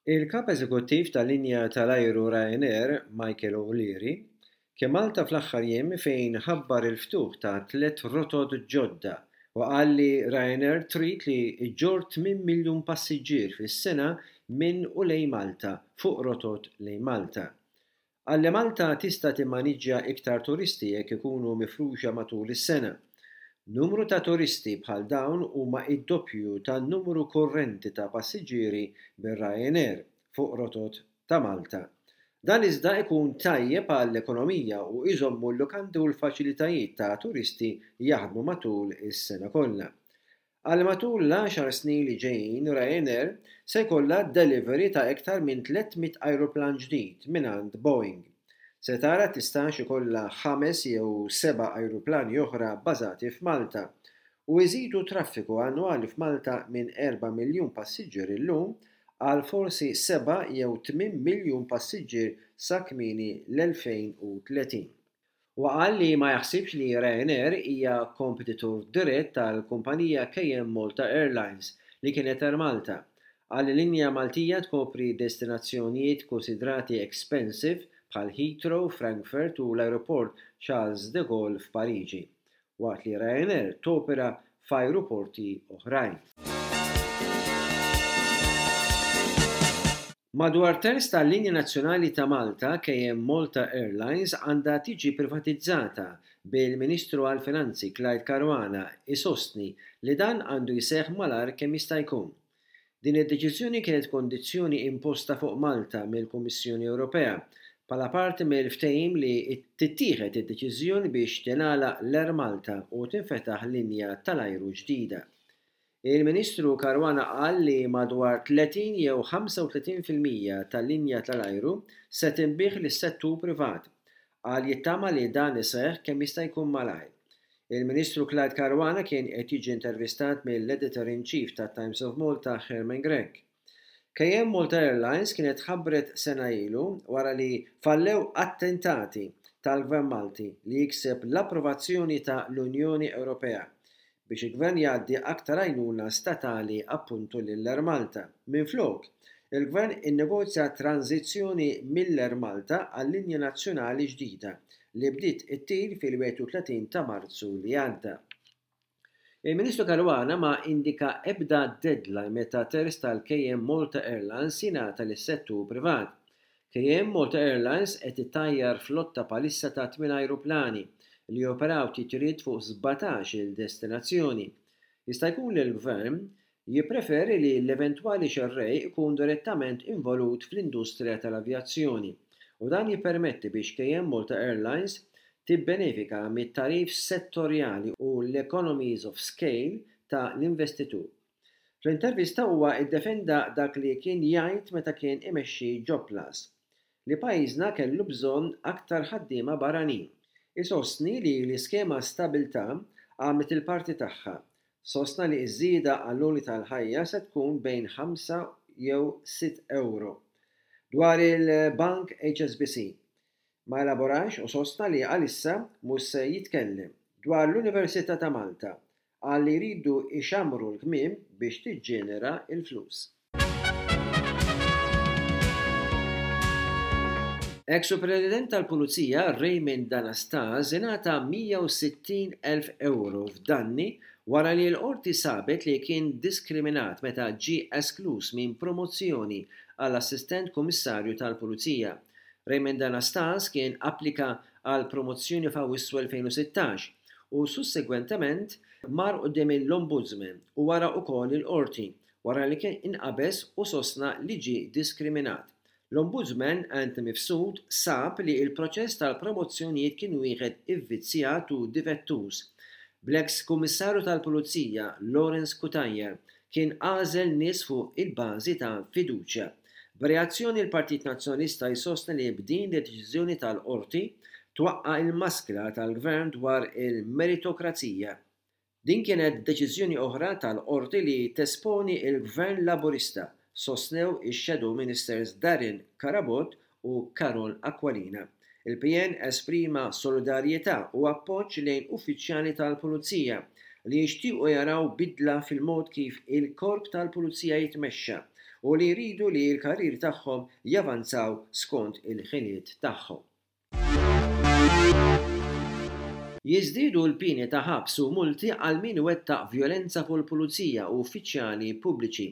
Il-Kap Eżekuttiv tal-linja tal-ajru Ryanair, Michael O'Leary, kien Malta fl-aħħar jiem fejn ħabbar il-ftuħ ta' tlett rotot ġodda u qal li Ryanair trid li ġġorr tminn miljun passiġġier fis-sena minn u lejn Malta fuq rotot lejn Malta. Qal li Malta tista' timmaniġġja iktar turisti jekk ikunu mifruxa matul is-sena. Numru ta' turisti bħal dawn huma d-doppju tan-numru kurrenti ta' passiġġieri bir-Ryanair fuq rotot ta' Malta. Dan iżda ikun tajjeb għall-ekonomija u iżommu l-lukandi u l-faċilitajiet ta' turisti jaħdmu matul is-sena kollha. Għal matul l-għaxar snin li ġejjin Ryanair se jkollha delivery ta' iktar minn 300 ajruplan ġdid mingħand Boeing. Se tara tistax ikollha ħames jew seba' ajruplani oħra bbażati f'Malta u jżidu t-traffiku annwali f'Malta minn erba' miljun passiġġier illum għal forsi seba' jew tminn miljun passiġġier sa kmieni l-2030. Huwa qal li ma jaħsibx li Ryanair hija kompetitur dirett tal-kumpanija KM Malta Airlines li kienet Air Malta. Qal li linja Maltija tkopri destinazzjonijiet kunsidrati expensive bħal Heathrow, Frankfurt u l-ajruport Charles de Gaulle f'Pariġi. waqt li Ryanair topera f'ajruporti oħrajn. Madwar terz tal-linja nazzjonali ta' Malta, KM Malta Airlines, għandha tiġi privatizzata, bil-Ministru għall-Finanzi Clyde Caruana jsostni li dan għandu jseħħ malajr kemm jista' jkun. Din id-deċiżjoni kienet kondizzjoni imposta fuq Malta mill-Kummissjoni Ewropea bħala parti mill-ftehim li tittieħed id-deċiżjoni biex tingħalaq l-Air Malta u tinfetaħ linja tal-ajru ġdida. Il-Ministru Caruana qal li madwar 30 jew 35% tal-linja tal-ajru se tinbiegħ lis-settur privat. Qal jittama li dan iseħħ kemm jista' jkun malajr. Il-Ministru Clyde Caruana kien qed jiġi intervistat mill-Editor in Chief tat-Times of Malta Herman Grech. KM Malta Airlines kienet tħabbret sena ilu wara li fallew attentati tal-Gvern Malti li jikseb l-approvazzjoni ta' l-Unjoni Ewropea biex il-Gvern jgħaddi aktar għajnuna statali appuntu lill-Air Malta. Minflok, il-Gvern innegozja tranżizzjoni mill-Air Malta għal linja nazzjonali ġdida li bdiet ittir fil-31 ta' Marzu li għadda. Il-Ministru Caruana ma indika ebda deadline meta terz tal-KM Malta Airlines jingħata lis-settur privat. KM Malta Airlines qed ittajjar flotta bħalissa ta' tmien ajruplani li joperaw titjiriet fuq 17-il destinazzjoni. Jista' jkun li l-Gvern jippreferi li l-eventwali xerrej ikun direttament involut fl-industrija tal-avjazzjoni u dan jippermetti biex KM Malta Airlines tibbenefika mit-tagħrif settorjali u l-economies of scale ta' l-investitur. Fl-intervista huwa ddefenda dak li kien jgħid meta kien imexxi Jobplus, li pajjiżna kellu bżonn aktar ħaddiema barranin. Isostni li l-iskema Stabilità għamlet il-parti tagħha. Sostna li ż-żieda għall-għoli tal-ħajja se tkun bejn ħamsa jew sitt ewro. Dwar il-bank HSBC, ma elaborax u sostna li għalissa mhux se jitkellem. Dwar l-Università ta' Malta, Qal li jridu jxammru l-kmiem biex tiġġenera l-flus. Eks Supretendent tal-Pulizija Raymond D'Anastase ingħata 160 elf ewro f'danni wara li l-Qorti sabet li kien diskriminat meta ġie eskluż minn promozzjoni għal Assistent Kummissarju tal-Pulizija. Raymond D'Anastase kien applika għal promozzjoni f'Awwissu 2016 u sussegwentement mar quddiem l-Ombudsman u wara wkoll il-Qorti wara li kien inqabeż u sostna li ġie diskriminat. L-Ombudsman Anthony Mifsud sab li l-proċess tal-promozzjonijiet kien wieħed ivvizzjat u difettuż, bl-eks Kummissarju tal-Pulizija Lawrence Cutajar kien għażel nies fuq il-bażi ta' fiduċja. B'reazzjoni l-Partit Nazzjonalista jsostni li b'din id-deċiżjoni tal-Qorti twaqqa' l-maskra tal-Gvern dwar il-meritokrazija. Din kienet deċiżjoni oħra tal-Qorti li tesponi l-Gvern Laburista, sostnew ix-Shadow Ministers Darren Carabott u Karol Aquilina. Il-PN esprima solidarjetà u appoġġ lejn uffiċjali tal-Pulizija li jixtiequ jaraw bidla fil-mod kif il-Korp tal-Pulizija jitmexxa. u li jridu li l-karrieri tagħhom javanzaw skont il-ħiliet tagħhom. Jiżdiedu l-pieni ta' ħabs u multi għal min iwettaq vjolenza fuq il-pulizija u uffiċjali pubbliċi.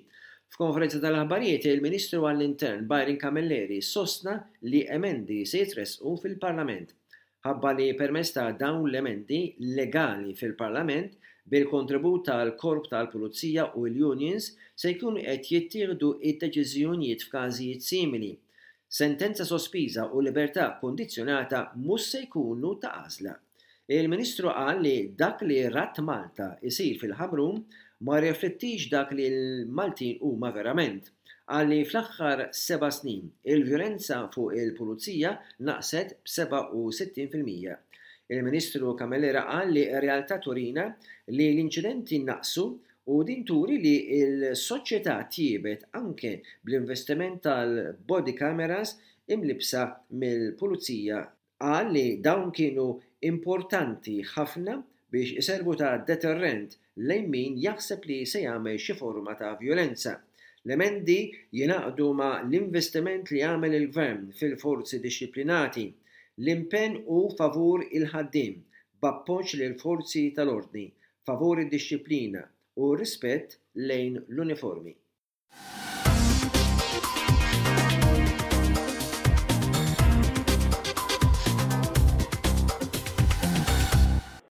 F'konferenza tal-aħbarijiet, il-Ministru għall-Intern Byron Camilleri sostna li emendi se jitressqu fil-Parlament. Ħabbar li permezz ta' dawn l-emendi legali fil-Parlament, bil-kontribut tal-Korp tal-Pulizija u l-unions, se jkunu qed jittieħdu d-deċiżjonijiet f'każijiet simili. Sentenza sospiża u libertà kkundizzjonata mhux se jkunu ta' għażla. Il-Ministru qal li dak li rat Malta jsir fil-Ħamrun ma jirriflettix dak li l-Maltin huma verament. Qal li fl-aħħar seba' snin, il-vjolenza fuq il-Pulizija naqset b'67%. Il-Ministru Camilleri qal li r-realtà turina li l-inċidenti naqsu U din turi li l-soċjetà tjiebet anke bl-investiment tal-body cameras imlibbsa mill-Pulizija. Qal li dawn kienu importanti ħafna biex iservu ta' deterrent lejn min jaħseb li se jagħmel xi forma ta' vjolenza. L-emendi jingħaqdu ma' l-investiment li għamel il-Gvern fil-forzi dixxiplinati. L-impenn hu favur il-ħaddiem, b'appoġġ lill-forzi tal-ordni, favur id-dixxiplina u r-rispett lejn l-uniformi.